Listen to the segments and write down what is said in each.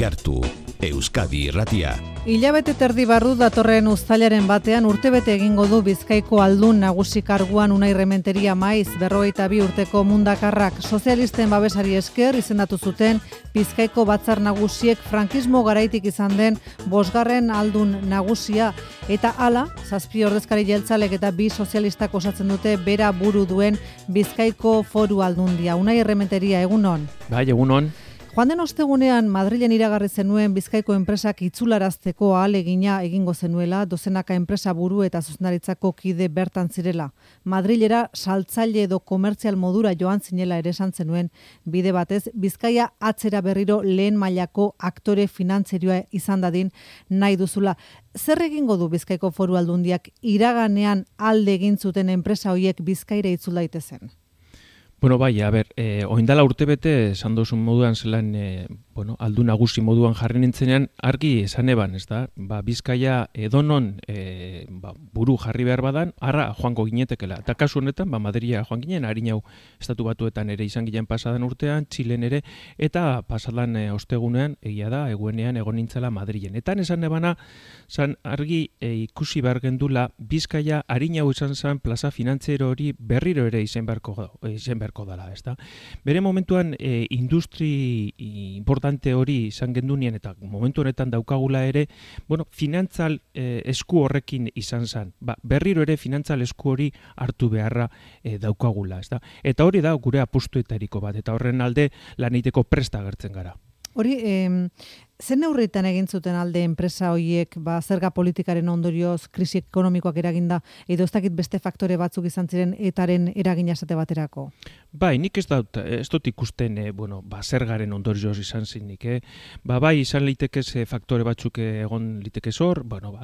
Gertu, Euskadi Irratia. Hilabete terdi barru datorren uztailaren batean urtebete egingo du Bizkaiko aldun nagusi karguan Unai Rementeria maiz 42 urteko mundakarrak sozialisten babesari esker izendatu zuten Bizkaiko batzar nagusiek frankismo garaitik izan den 5. aldun nagusia eta hala 7 ordezkari jeltzalek eta 2 sozialistak osatzen dute bera buru duen Bizkaiko Foru Aldundia. Unai Rementeria, egunon. Bai, egunon. Joan den ostegunean Madrilen iragarri zenuen Bizkaiko enpresak itzularazteko ahalegina egingo zenuela, dozenaka enpresa buru eta zuzendaritzako kide bertan zirela. Madrilera saltzaile edo komertzial modura joan zinela ere esan zenuen, bide batez Bizkaia atzera berriro lehen mailako aktore finantzerioa izan dadin nahi duzula. Zer egingo du Bizkaiko Foru Aldundiak iraganean alde egin zuten enpresa horiek Bizkaira itzul daitezen? Bueno, bai, oindala urtebete esan duzun moduan zelan, aldu nagusi moduan jarri nintzenean argi esan eban, ez da? Bizkaia edonon buru jarri behar badan, arra joango ginetekela. Eta kasu honetan, Madria joan ginen, harinau estatu batuetan ere izan ginen pasadan urtean, Txilen ere, eta pasadan ostegunean, egia da, eguenean egon nintzela Madrilen. Eta esan ebana, zan argi ikusi behar gendula, Bizkaia harinau izan zen plaza finantzero hori berriro ere izen beharko dela, ez da? Bere momentuan industri importante hori izan gendunien eta momentu honetan daukagula ere, finantzal esku horrekin izan zen. Berriro ere finantzal esku hori hartu beharra daukagula, ez da? Eta hori da gure apustuetariko bat, eta horren alde lan egiteko presta agertzen gara. Hori, zen neurritan egin zuten alde enpresa horiek zerga politikaren ondorioz krisi ekonomikoak eraginda, edo ez dakit beste faktore batzuk izan ziren etaren eragina esate baterako? Bai, nik ez dut ikusten zergaren ondorioz izan zinik. Bai, izan liteke faktore batzuk egon liteke zor,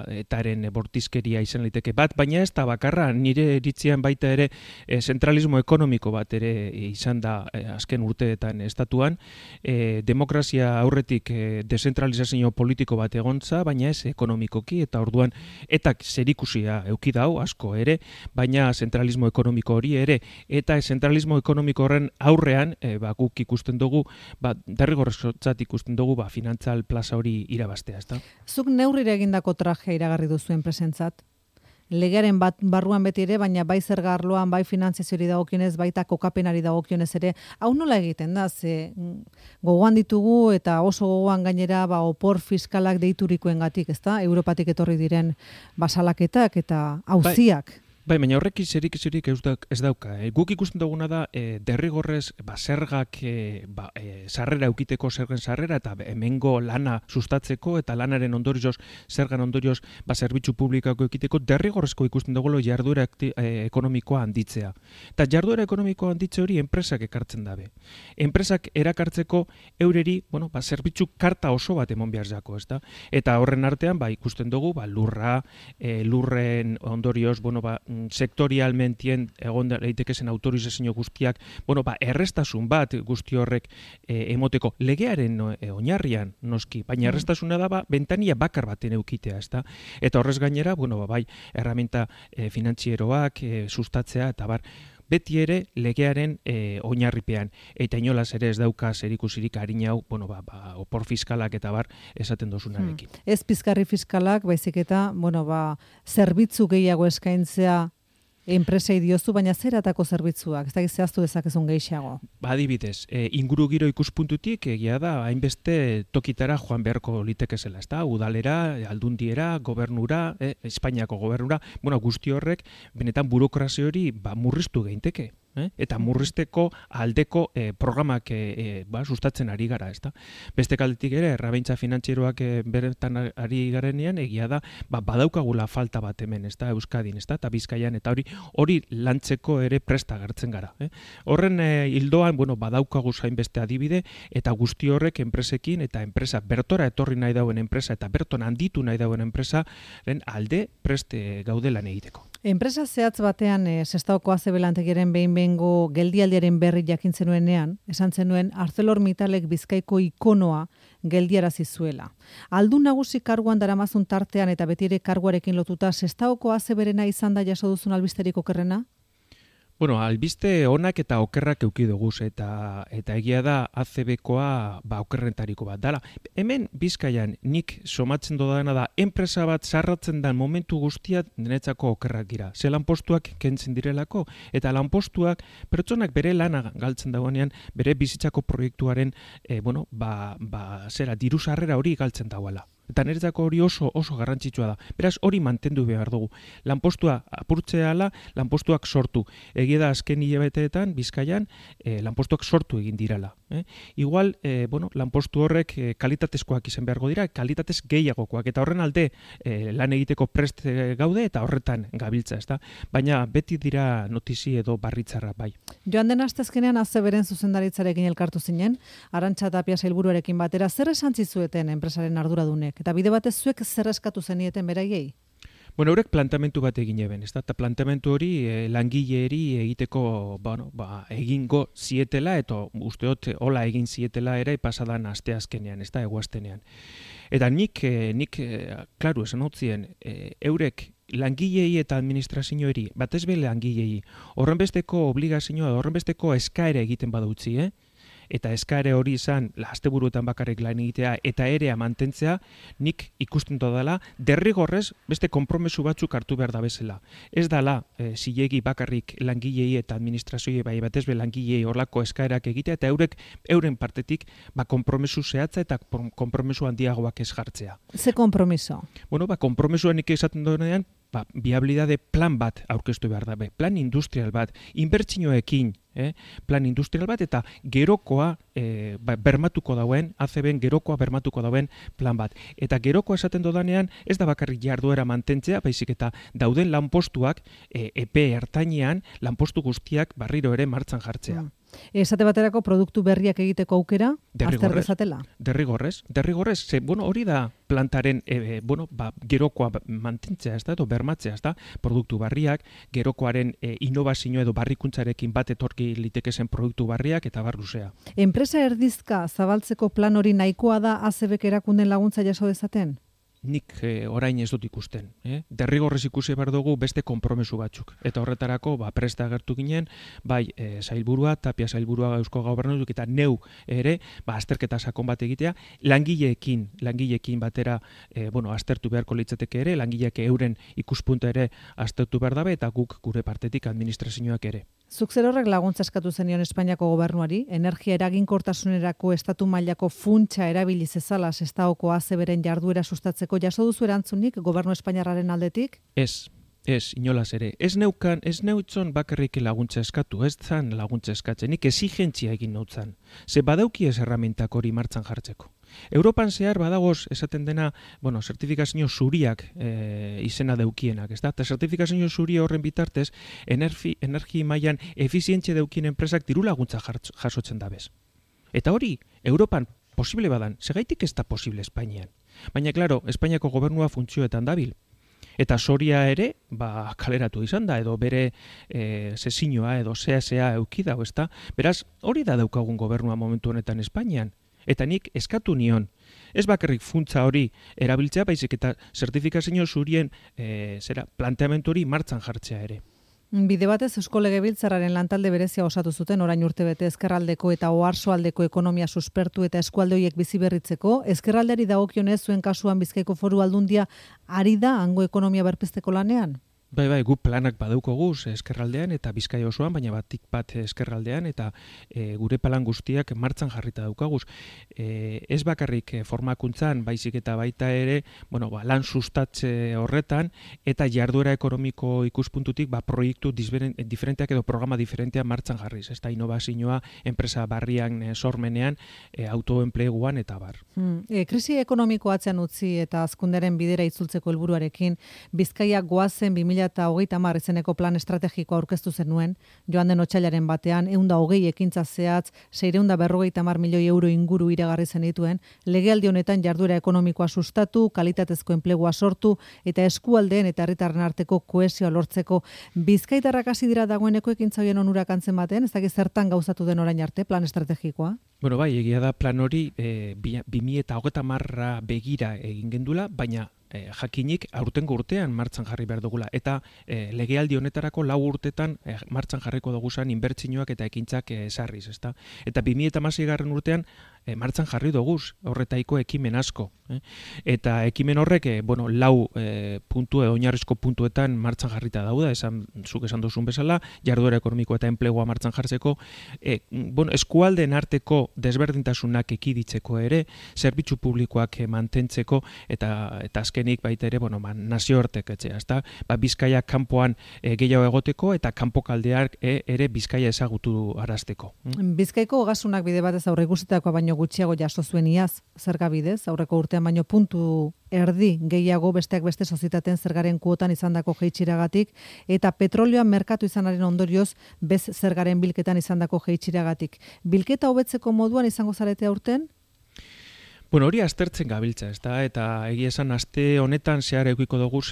etaren bortizkeria izan liteke bat, baina ez da bakarra, nire eritzian baita ere zentralismo ekonomiko bat ere izan da azken urteetan estatuan, demokrazia aurretik dezentralizazio politiko bat egontza, baina ez ekonomikoki, eta orduan etak zerikusia eduki dau asko ere, baina zentralismo ekonomiko hori ere, eta zentralismo ekonomiko horren aurrean guk ikusten dugu, derrigorrezkotzat ikusten dugu finantzal plaza hori irabaztea, ezta? Zuk neurrira egindako trajea iragarri duzuen presentzat? Legearen barruan beti ere, baina bai zerga arloan, bai finantziazioari dagokionez, baita kokapenari dagokionez ere, hau nola egiten da, ze gogoan ditugu eta oso gogoan gainera opor fiskalak deiturikoengatik, ezta? Europatik etorri diren basalaketak eta auziak. Bai, baina horrek zerik ez dauka. Guk ikusten duguna da, derrigorrez zergak sarrera eukiteko zergen sarrera eta hemengo lana sustatzeko eta lanaren ondorioz, zergan ondorioz zerbitzu publikako eukiteko derrigorrezko ikusten dugu jarduera ekonomikoa handitzea. Eta jarduera ekonomikoa handitze hori enpresak ekartzen dabe. Enpresak erakartzeko eureri, zerbitzu karta oso bat emon behar zako, ez da? Eta horren artean, ikusten dugu, lurren ondorioz, sektorialmentien egon daitekezen autorizazio guztiak, errestasun bat guzti horrek emoteko legearen oinarrian noski, baina errestasuna da bentania bakar baten eukitea, ezta? Eta horrez gainera, erramenta finantzieroak sustatzea eta beti ere legearen oinarripean. Eta inolaz ere ez dauka zerikusirik harin hau, opor fiskalak eta esaten dozunarekin. Ez pizgarri fiskalak, baizik eta, zerbitzu gehiago eskaintzea enpresei diozu, baina zeratako zerbitzuak, ez da zehaztu dezakezun gehiago? Adibidez, ingurugiro ikuspuntutik egia da, hainbeste tokitara joan beharko litekezela, ez da? Udalera, aldundiera, gobernura, Espainiako gobernura, guzti horrek, benetan burokrazio hori murriztu geinteke. Eta murrizteko aldeko programak sustatzen ari gara, ezta? Beste kaldetik ere, errabeintza finantzieroak beretan ari garenean, egia da, badaukagula falta bat hemen, ezta? Euskadin, ezta? Eta Bizkaian, eta hori lantzeko ere presta agertzen gara. Horren hildoan, badaukagu zain beste adibide, eta guzti horrek enpresekin, eta enpresa bertora etorri nahi dauen enpresa, eta berton handitu nahi dauen enpresaren alde preste gaudelan egiteko. Enpresa zehatz batean, Sestaoko ACB behin-behingo geldialdiaren berri jakin zenuenean, esan zenuen ArcelorMittalek Bizkaiko ikonoa geldiarazi zuela. Aldun nagusi karguan daramazun tartean eta beti ere karguarekin lotuta, Sestaoko ACB-rena izan da jaso duzun albisterik okerrena? Bueno, albiste onak eta okerrak eduki duguz eta egia da ACB-koa okerrentariko bat dala. Hemen Bizkaian nik somatzen dodana da enpresa bat sarratzen dan momentu guztia niretzako okerrak dira. Ze lanpostuak kentzen direlako eta lanpostuak pertsonak bere lana galtzen dagoenean bere bizitzako proiektuaren diru sarrera hori galtzen dagoela. Eta niretzako hori oso garrantzitsua da. Beraz, hori mantendu behar dugu. Lanpostua apurtzea ala, lanpostuak sortu. Egia da azken hilabeteetan, Bizkaian, lanpostuak sortu egin dirala. Igual, lanpostu horrek kalitatezkoak izan beharko dira, kalitatez gehiagokoak. Eta horren alde lan egiteko prest gaude eta horretan gabiltza, ezta? Baina beti dira notizi edo barritzarra bai. Joan den asteazkenean ACB-ren zuzendaritzarekin elkartu zinen, Arantxa Tapia sailburuarekin batera, zer esan zizueten enpresaren arduradunek? Eta bide batez zuek zer eskatu zenieten beraiei? Bueno, horrek plantamentu bat egin eben, ezta? Eta plantamentu hori langileeri egiteko, egingo zietela, eta usteot hola egin zietela ere pasadan asteazkenean, ezta, eguaztenean. Eta nik klaru, esan hotzien, eurek langilei eta administrazioeri, batez be langilei, horrenbesteko obligazioa, horrenbesteko eskaera egiten badutzi, eta eskaere hori izan asteburuetan bakarrik lan egitea eta erea mantentzea, nik ikusten dela derrigorrez beste konpromesu batzuk hartu behar da bezala. Ez dala zilegi bakarrik langilei eta administrazioei bai batez be langilei horlako eskaerak egitea eta euren partetik konpromesu zehatza eta konpromesu handiagoak ez jartzea. Ze konpromiso? Bueno, konpromesua nik esaten duenean, viabilidade plan bat aurkeztu behar da, plan industrial bat, inbertsioekin, plan industrial bat eta gerokoa bermatuko dauen, ACB-en gerokoa bermatuko dauen plan bat. Eta gerokoa esaten dodanean ez da bakarrik jarduera mantentzea, baizik eta dauden lanpostuak epe ertainean lanpostu guztiak barriro ere martxan jartzea. Esate baterako produktu berriak egiteko aukera, azter dezatela? Derrigorrez, ze, hori da plantaren, gerokoa mantentzea, ez da, edo bermatzea, ez da, produktu barriak, gerokoaren innovazio edo barrikuntzarekin bat etorki litekezen produktu barriak eta barruzea. Enpresa erdizka zabaltzeko plan hori nahikoa da ACB-ek erakunden laguntza jaso dezaten? Nik orain ez dut ikusten. Derrigorrez ikusi behar dugu beste konpromesu batzuk. Eta horretarako presta agertu ginen, bai sailburua, Tapia sailburua Eusko Gobernutik eta neu ere, azterketa sakon bat egitea, langileekin batera aztertu beharko litzateke ere, langileak euren ikuspunta ere aztertu behar dabe, eta guk gure partetik administrazioak ere. Zuk zer horrek laguntza eskatu zenion Espainiako gobernuari, energia eraginkortasunerako estatu mailako funtsa erabili zezala Sestaoko ACB-ren jarduera sustatzeko jaso duzu erantzunik gobernu espainiarraren aldetik? Ez, inolaz ere. Ez neutzon bakarrik laguntza eskatu, ez zan laguntza eskatzen, nik exigentzia egin nautzan. Ze badauki ez erramintak hori martxan jartzeko. Europan zehar badagoz esaten dena, zertifikazio zuriak izena deukienak, ez da? Eta zertifikazio zuri horren bitartez, energi mailan efizientzia deukien enpresak diru laguntza jasotzen dabez. Eta hori, Europan posible badan, segaitik ez da posible Espainian. Baina, klaro, Espainiako gobernua funtzioetan dabil. Eta Soria ere, kaleratu izan da, edo bere sezinoa edo zea eukida, ez da? Beraz, hori da daukagun gobernua momentu honetan Espainian. Eta nik eskatu nion. Ez bakarrik funtza hori erabiltzea, baizik eta zertifikazio zurien planteamentu hori martxan jartzea ere. Bide batez Eusko Legebiltzarraren lantalde berezia osatu zuten orain urtebete ezkerraldeko eta oarsoaldeko ekonomia suspertu eta eskualde horiek bizi berritzeko. Ezkerraldeari dagokionez zuen kasuan Bizkaiko Foru Aldundia ari da hango ekonomia berpizteko lanean? Bai, gu planak badaukogu eskerraldean eta Bizkaia osoan, baina batik bat eskerraldean eta gure plan guztiak martxan jarrita daukaguz. Ez bakarrik formakuntzan, baizik eta baita ere, lan sustatze horretan eta jarduera ekonomiko ikuspuntutik proiektu diferenteak edo programa diferenteak martxan jarriz. Ez da innovazioa, enpresa barrian sormenean, autoenpleguan eta bar. Krisi ekonomiko atzean utzi eta hazkunderen bidera itzultzeko helburuarekin, Bizkaia goazen 2030 izeneko plan estrategikoa aurkeztu zenuen, joan den otsailaren batean, 120 ekintza zehatz, 650 milioi euro inguru iragarri zenituen, legealdi honetan jarduera ekonomikoa sustatu, kalitatezko enplegua sortu, eta eskualdeen eta herritarren arteko kohesioa lortzeko. Bizkaitarrak hasi dira dagoeneko ekintza horien onurak antzen baten, ez dakit zertan gauzatu den orain arte, plan estrategikoa? Bai, egia da plan hori 2030 begira egin gendula, baina jakinik aurtengo urtean martxan jarri behar dugula. Eta legealdi honetarako 4 urtetan martxan jarriko duguzan inbertsioak eta ekintzak sarriz, ezta? Eta 2016 urtean martxan jarri duguz, horretaiko ekimen asko. Eta ekimen horrek, 4 puntu edo oinarrizko puntuetan martxan jarrita dauda, zuk esan duzun bezala, jarduera ekonomikoa eta enplegua martxan jartzeko, eskualdeen arteko desberdintasunak ekiditzeko ere, zerbitzu publikoak mantentzeko, eta azkenik baita ere, nazioartekotzea, ezta? Bizkaia kanpoan gehiago egoteko eta kanpokaldeak ere Bizkaia ezagutu arazteko. Bizkaiko ogasunak bide batez aurreikusitakoa baino gutxiago jaso zuen iaz, zerga bidez, aurreko urtean baino puntu erdi gehiago besteak beste sozietateen zergaren kuotan izandako jaitsiragatik eta petrolioa merkatu izanaren ondorioz bez zergaren bilketan izandako jaitsiragatik. Bilketa hobetzeko moduan izango zarete aurten? Hori aztertzen gabiltza, ezta? Eta egia esan aste honetan zehar edukiko dugu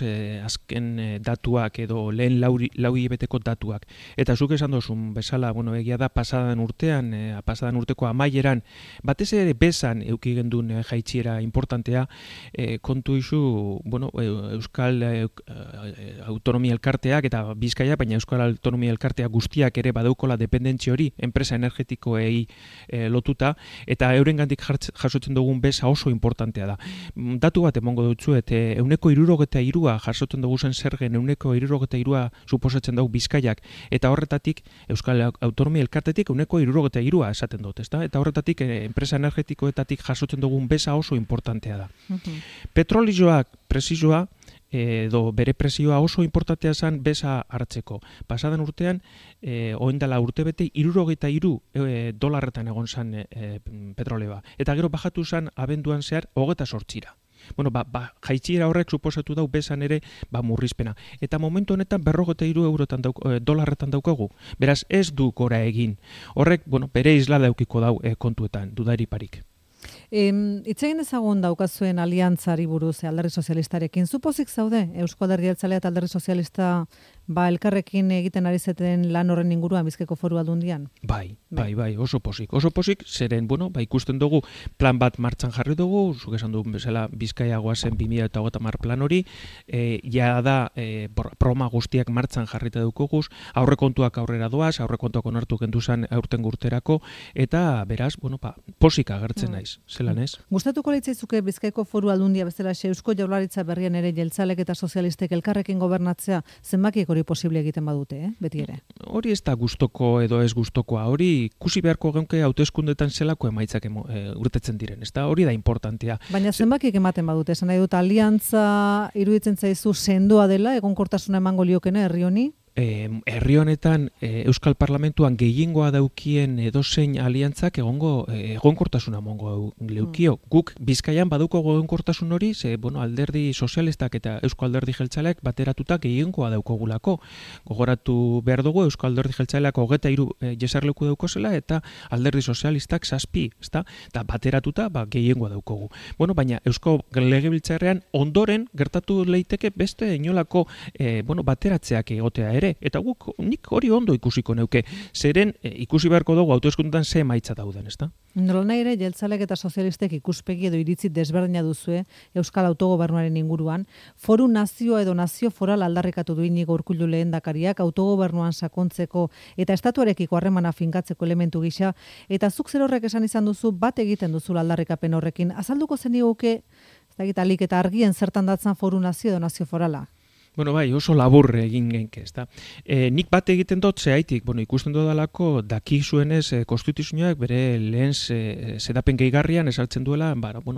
azken datuak edo lehen lau hilabeteko datuak. Eta zuk esan duzun bezala, egia da pasadan urteko amaieran, batez ere bezan eduki gendun jaitsiera importantea, kontu izu, Euskal Autonomia Elkarteak eta Bizkaia, baina Euskal Autonomia Elkarteak guztiak ere badaukola dependentzia hori, enpresa energetikoei lotuta, eta eurengandik jasotzen dugun beza oso importantea da. Datu bat emongo dutzu, eta 163 jasotzen dugu zen zergen 163 suposatzen dugu Bizkaiak, eta horretatik Euskal Autonomia Elkartetik 163 esaten dut, ezta? Eta horretatik enpresa energetikoetatik jasotzen dugun beza oso importantea da. Petrolioak prezioa edo bere prezioa oso importantea zen beza hartzeko. Pasadan urtean, oindala urtebete, $63 egon zen petrolioa. Eta gero bajatu zen abenduan zehar 28. Jaitsiera horrek suposatu dau bezan ere murrizpena. Eta momentu honetan $43 daukagu. Beraz, ez du gora egin. Horrek, bere isla daukiko dau kontuetan, dudariparik. Itzegin ezagun daukazuen aliantzari buruz Alderdi Sozialistarekin. Zupozik zaude Eusko Alderdi Jeltzalea eta Alderdi Sozialista elkarrekin egiten ari zeten lan horren inguruan Bizkaiko Foru Aldundian? Bai, oso pozik. Oso pozik, zeren, ikusten dugu plan bat martxan jarri dugu, zuk esan dugun bezala Bizkaia goazen 2030 plan hori, ja da programa guztiak martxan jarrita dukoguz, aurrekontuak aurrera doaz, aurrekontuak onartu genduzan aurten urterako, eta beraz, pozik agertzen naiz. Zelan ez? Gustatuko litzaizuke Bizkaiko Foru Aldundia bezala Eusko Jaurlaritza berrian ere jeltzalek eta sozialistek elkarrekin gobernatzea, zenbakiek hori posible egiten badute, beti ere? Hori ez da gustoko edo ez gustokoa, hori ikusi beharko geunke hauteskundetan zelako emaitzak urtetzen diren, ez da? Hori da importantea. Baina zenbakiek ematen badute, esan nahi dut, aliantza iruditzen zaizu sendoa dela, egonkortasuna emango liokena herri honi? Herri honetan Euskal Parlamentuan gehiengoa daukien edozein aliantzak egonkortasuna mongo leukio. Guk Bizkaian baduko egonkortasun hori, Alderdi Sozialistak eta Euskal Alderdi Jeltzaleak bateratuta gehiengoa daukogulako. Gogoratu behar dugu Euskal Alderdi Jeltzaleak 23 jesarleku dauko zela eta Alderdi Sozialistak 7, ezta? Eta bateratuta gehiengoa daukogu. Baina Eusko Legebiltzarrean ondoren gertatu leiteke beste inolako bateratzeak egotea ere. Eta nik hori ondo ikusiko neuke. Zeren ikusi beharko dugu hauteskundetan ze emaitza dauden, ezta? Nolanahi ere, jeltzalek eta sozialistek ikuspegi edo iritzi desberdina duzue Euskal Autogobernuaren inguruan. Foru nazioa edo nazio foral aldarrikatu du Inigo Urkullu lehendakariak autogobernuan sakontzeko eta estatuarekiko harremana finkatzeko elementu gisa, eta zuk zer horrek esan izan duzu bat egiten duzula aldarrikapen horrekin. Azalduko zeniguke, ez dakit alik eta argien zertan datzan foru nazio edo nazio forala? Oso labur egin genke, ezta. Nik bat egiten dut zehaitik, ikusten dudalako daki zuenez konstituzioak bere lehen zedapen gehigarrian esartzen duela,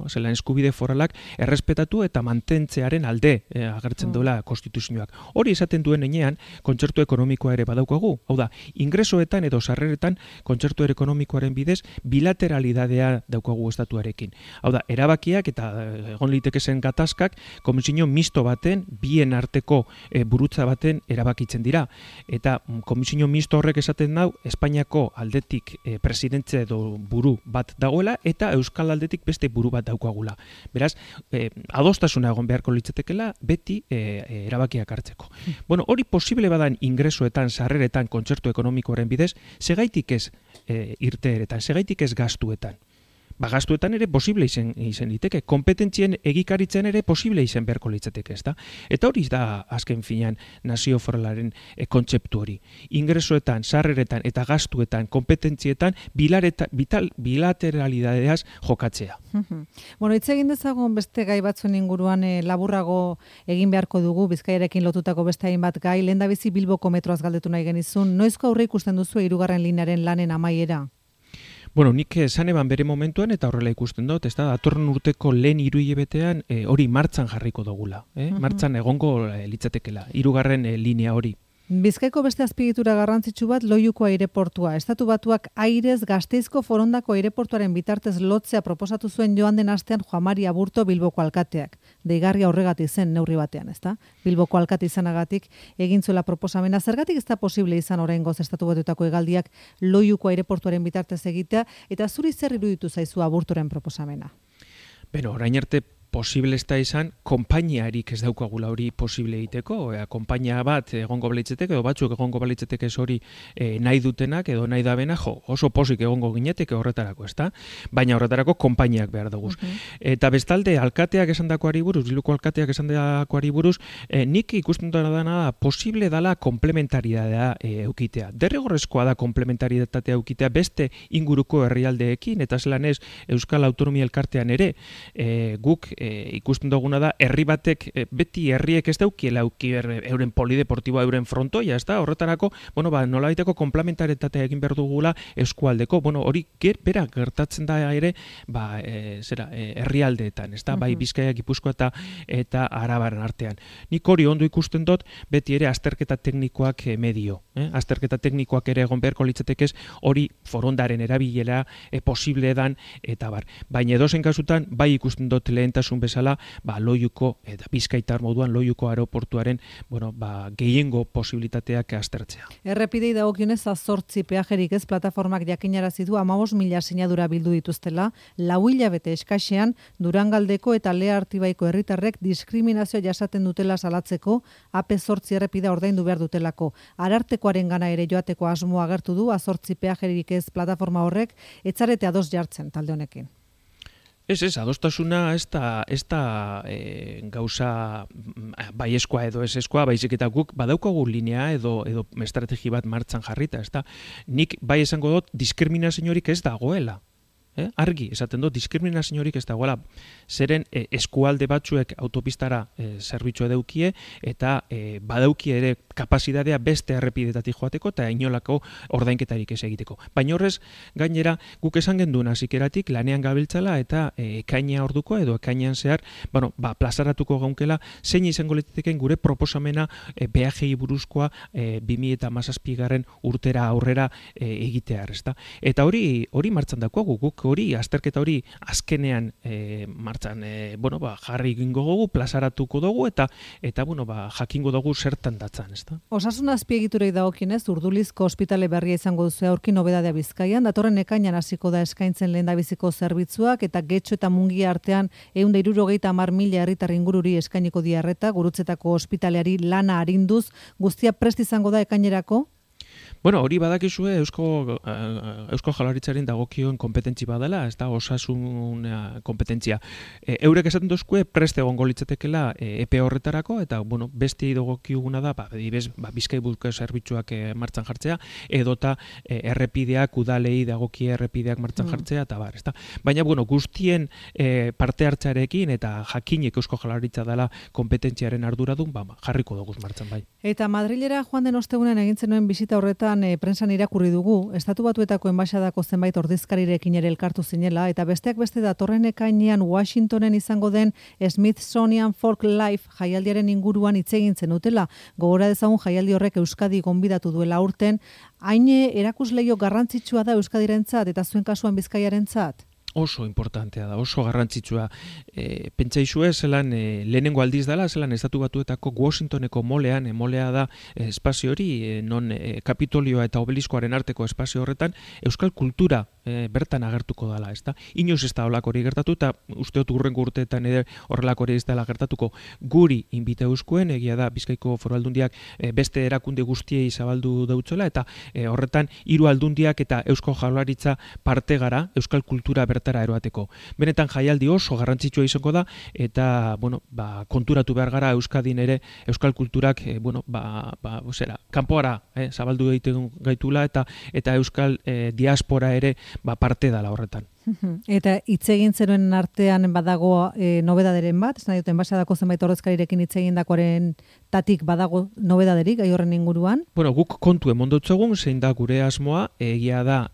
zelan eskubide foralak errespetatu eta mantentzearen alde agertzen duela konstituzioak. Hori esaten duen enean, kontzertu ekonomikoa ere badaukagu. Hau da, ingresoetan edo sarreretan kontzertu ekonomikoaren bidez bilateralidadea daukagu estatuarekin. Hau da, erabakiak eta egon litekezen gatazkak komisio misto baten, bien arteko burutza baten erabakitzen dira. Eta komisio misto horrek esaten dau, Espainiako aldetik presidentzia edo buru bat dagoela eta Euskal aldetik beste buru bat daukagula. Beraz, adostasuna egon beharko litzatekela beti erabakiak hartzeko. Hori posible badan ingresoetan, sarreretan, kontzertu ekonomikoaren bidez, segaitik ez irteeretan, segaitik ez gastuetan. gastuetan ere posible izan liteke, kompetentzien egikaritzen ere posible izan beharko litzateke, ezta? Eta hori da azken finean nazio foralaren kontzeptu hori. Ingresoetan, sarreretan eta gastuetan, kompetentzietan bilateralidadeaz jokatzea. Bueno, hitz egin dezagun beste gai batzuen inguruan laburrago egin beharko dugu, Bizkaiarekin lotutako beste hainbat gai, lehendabizi Bilboko metroaz galdetu nahi genizun, noizko aurre ikusten duzu 3. linearen lanen amaiera? Bueno, nik esan eban bere momentuan eta horrela ikusten dut, ez da, datorren urteko lehen 3 hilabetean hori martxan jarriko dugula, martxan egongo litzatekela, 3. linea hori. Bizkaiko beste azpiegitura garrantzitsu bat Loiuko aireportua. Estatu Batuak airez Gasteizko Forondako aireportuaren bitartez lotzea proposatu zuen joan den astean Juan Mari Aburto Bilboko alkateak. Deigarria horregatik zen neurri batean, ezta? Bilboko alkate izanagatik egin zuela proposamena. Zergatik ez da posible izan oraingoz Estatu Batuetako hegaldiak Loiuko aireportuaren bitartez egitea, eta zuri zer iruditu zaizu Aburtoren proposamena? Beno, orain arte posible ez da izan, konpainiarik ez daukagula hori posible egiteko, konpainia bat egongo balitzeteke, edo batzuk egongo balitzeteke hori nahi dutenak, edo nahi dabena, oso posik egongo gineteke horretarako, ezta? Baina horretarako konpainiak behar dugu. Eta bestalde, alkateak esandakoari buruz, Bilboko alkateak esandakoari buruz, nik ikusten dena posible dala komplementaritatea eukitea. Derrigorrezkoa da komplementaritatea eukitea beste inguruko herrialdeekin, eta zelan ez Euskal Autonomia Elkartean ere, guk ikusten duguna da, herri batek, beti herriek ez daukiela euren polideportiboa, euren frontoia, ez da, horretarako, nolabaiteko komplementaritatea egin behar dugula eskualdeko, hori bera gertatzen da ere, herrialdeetan, ez da, bai Bizkaia, Gipuzkoa eta Arabaren artean. Nik hori ondo ikusten dut, beti ere azterketa teknikoak medio, azterketa teknikoak ere egon beharko litzatekez, hori forondaren erabilera posible edan, eta bar. Baina edozen kasutan, bai ikusten dut lehentasun bezala, Loiuko eta Bizkaitar moduan Loiuko aeroportuaren, gehiengo posibilitateak aztertzea. Errepidei dagokionez 8 peajerik ez, plataformak jakinarazi du 15.000 sinadura bildu dituztela, 4 hilabete eskasean Durangaldeko eta Lea Artibaiko herritarrek diskriminazio jasaten dutela salatzeko, AP8 errepida ordaindu behar dutelako. Arartekoaren gana ere joateko asmoa agertu du 8 peajerik ez plataforma horrek, etzarete ados jartzen talde honekin. Ez, adostasuna ez da gauza baiezkoa edo ezeskoa, baizik eta guk badaukagu linea edo estrategi bat martxan jarrita, ez da. Nik bai esango dut diskriminaziorik ez dagoela. Argi, esaten dut, diskriminaziorik ez dagoela, zeren eskualde batzuek autopistara zerbitzua daukie, eta badaukie ere kapazitatea beste errepidetatik joateko, eta inolako ordainketarik ez egiteko. Baina horrez, gainera, guk esan genduen hazikeratik lanean gabiltzala, eta ekaina orduko, edo ekainan zehar, plazaratuko gaunkela, zein izango litzateken gure proposamena peajei buruzkoa 2017 urtera aurrera egitear, ezta? Eta hori martxan dakoagu, guk hori, azterketa hori azkenean martxan jarri egingo dugu, plazaratuko dugu eta jakingo dugu zertan datzan, ezta? Osasun azpiegiturei dagokionez, Urdulizko ospitale berria izango duzu aurki nobedadea Bizkaian, datorren ekainan hasiko da eskaintzen lehendabiziko zerbitzuak eta Getxo eta Mungia artean 170.000 herritar ingururi eskainiko die arreta, Gurutzetako ospitaleari lana arinduz, guztia prest izango da ekainerako? Hori badakizue Eusko Jaurlaritzaren dagokion kompetentzi badela, ez da osasun kompetentzia. Eurek esaten duzkue preste egongo litzatekela epe horretarako, eta beste dagokiuguna da, Bizkaibuzko zerbitzuak martxan jartzea, edota errepideak, udalei dagokie errepideak martxan jartzea, eta bar, ez da. Baina, guztien parte hartzarekin, eta jakinek Eusko Jaurlaritza dela kompetentziaren arduradun, jarriko dugu martxan bai. Eta Madrilera joan den ostegunean egin zenuen bisita horretan prensan irakurri dugu, Estatu Batuetako enbaxadako zenbait ordezkarirekin ere elkartu zinela, eta besteak beste datorren ekainean Washingtonen izango den Smithsonian Folk Life jaialdiaren inguruan hitz egin zenutela. Gogora dezagun jaialdi horrek Euskadi gonbidatu duela aurten, hain erakusleio garrantzitsua da Euskadirentzat eta zuen kasuan Bizkaiarentzat? Oso importantea da, oso garrantzitsua. Pentsaizue zelan lehenengo aldiz dela, zelan Estatu Batuetako Washingtoneko molean, molea da espazio hori, non Kapitolioa eta Obeliskoaren arteko espazio horretan, euskal kultura bertan agertuko dela, ezta? Inoiz ez da holako hori gertatu, eta usteot hurrengo urteetan ere horrelako hori ez dela gertatuko. Guri inbita euskuen, egia da Bizkaiko Foru Aldundiak beste erakunde guztiei zabaldu dautzola, eta horretan 3 aldundiak eta Eusko Jaurlaritza parte gara, euskal kultura bertan bertara eroateko. Benetan jaialdi oso garrantzitsua izango da, eta, konturatu behar gara Euskadin ere, euskal kulturak, kanpoara, zabaldu egiten gaitula, eta euskal diaspora ere, parte dala horretan. Eta hitz egin zenuen artean badago nobedaderen bat, esan dut, enbaxadako zenbait ordezkarirekin hitz egindakoaren tatik badago nobedaderik gai horren inguruan? Guk kontu emondotzegun, zein da gure asmoa, egia da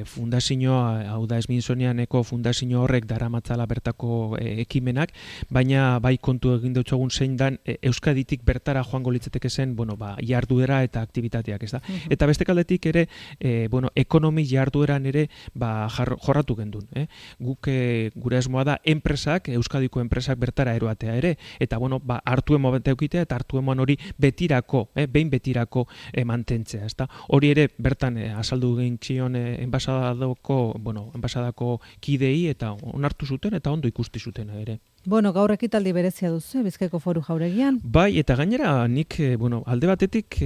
fundazioa, hau da Smithsonianeko fundazio horrek daramatzala bertako ekimenak, baina bai kontu egin dutzegun zein dan Euskaditik bertara joango litzateke zen, jarduera eta aktibitateak, ez da? Eta beste kaldetik ere, ekonomi jardueran ere jorratu gendun. Guk gure asmoa da enpresak, Euskadiko enpresak bertara eroatea ere, eta hartu emo eukite eta hartu eman hori betirako, behin betirako mantentzea, ezta? Hori ere bertan azaldu gintzion enbasadako kidei eta onartu zuten eta ondo ikusti zuten ere. Gaur ekitaldi berezia duzu, Bizkaiko Foru Jauregian. Bai, eta gainera nik, alde batetik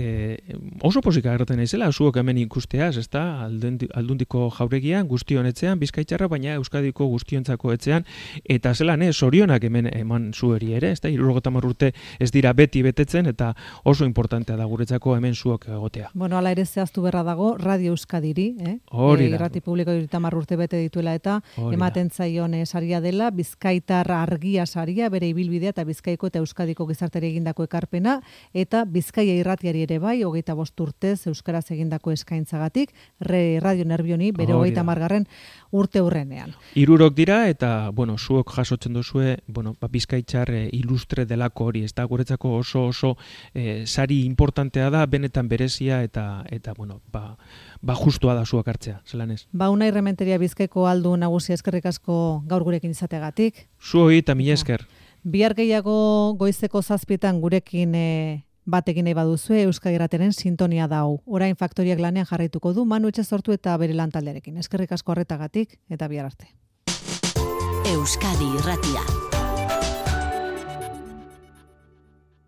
oso posik agertzen naizela, zuok hemen ikusteaz, ezta? Aldundiko Jauregian, guztion etzean, Bizkaitarra, baina Euskadiko guztiontzako etzean, eta zelan zorionak hemen eman zueri ere, ezta? 70 urte ez dira beti betetzen, eta oso importantea da guretzako hemen zuok egotea. Hala ere zehaztu berra dago, Radio Euskadiri, Hori da. Irrati publiko 70 urte bete dituela eta ematen zaion saria dela, Bizkaitar argia saria, bere ibilbidea eta Bizkaiko eta Euskadiko gizarteri egindako ekarpena, eta Bizkaia irratiari ere bai, 25 urtez euskaraz egindako eskaintzagatik, Radio Nerbioni, bere 30. urte hurrenean. 3 dira, eta, zuok jasotzen duzue, Bizkaitzar ilustre delako hori, ez da, guretzako oso sari importantea da, benetan berezia, eta justua da zuak hartzea, zelan ez? Unai Rementeria Bizkaiko aldu nagusia eskerrik asko gaur gurekin izateagatik. Zuoi eta mila esker. Bihar gehiago goizeko 7 gurekin batekin nahi baduzue, Euskadi Irratiaren sintonia da hau. Orain Faktoriak lanean jarraituko du, Manu Etxezortu eta bere lantaldearekin. Eskerrik asko horretagatik eta bihar arte. Euskadi Irratia.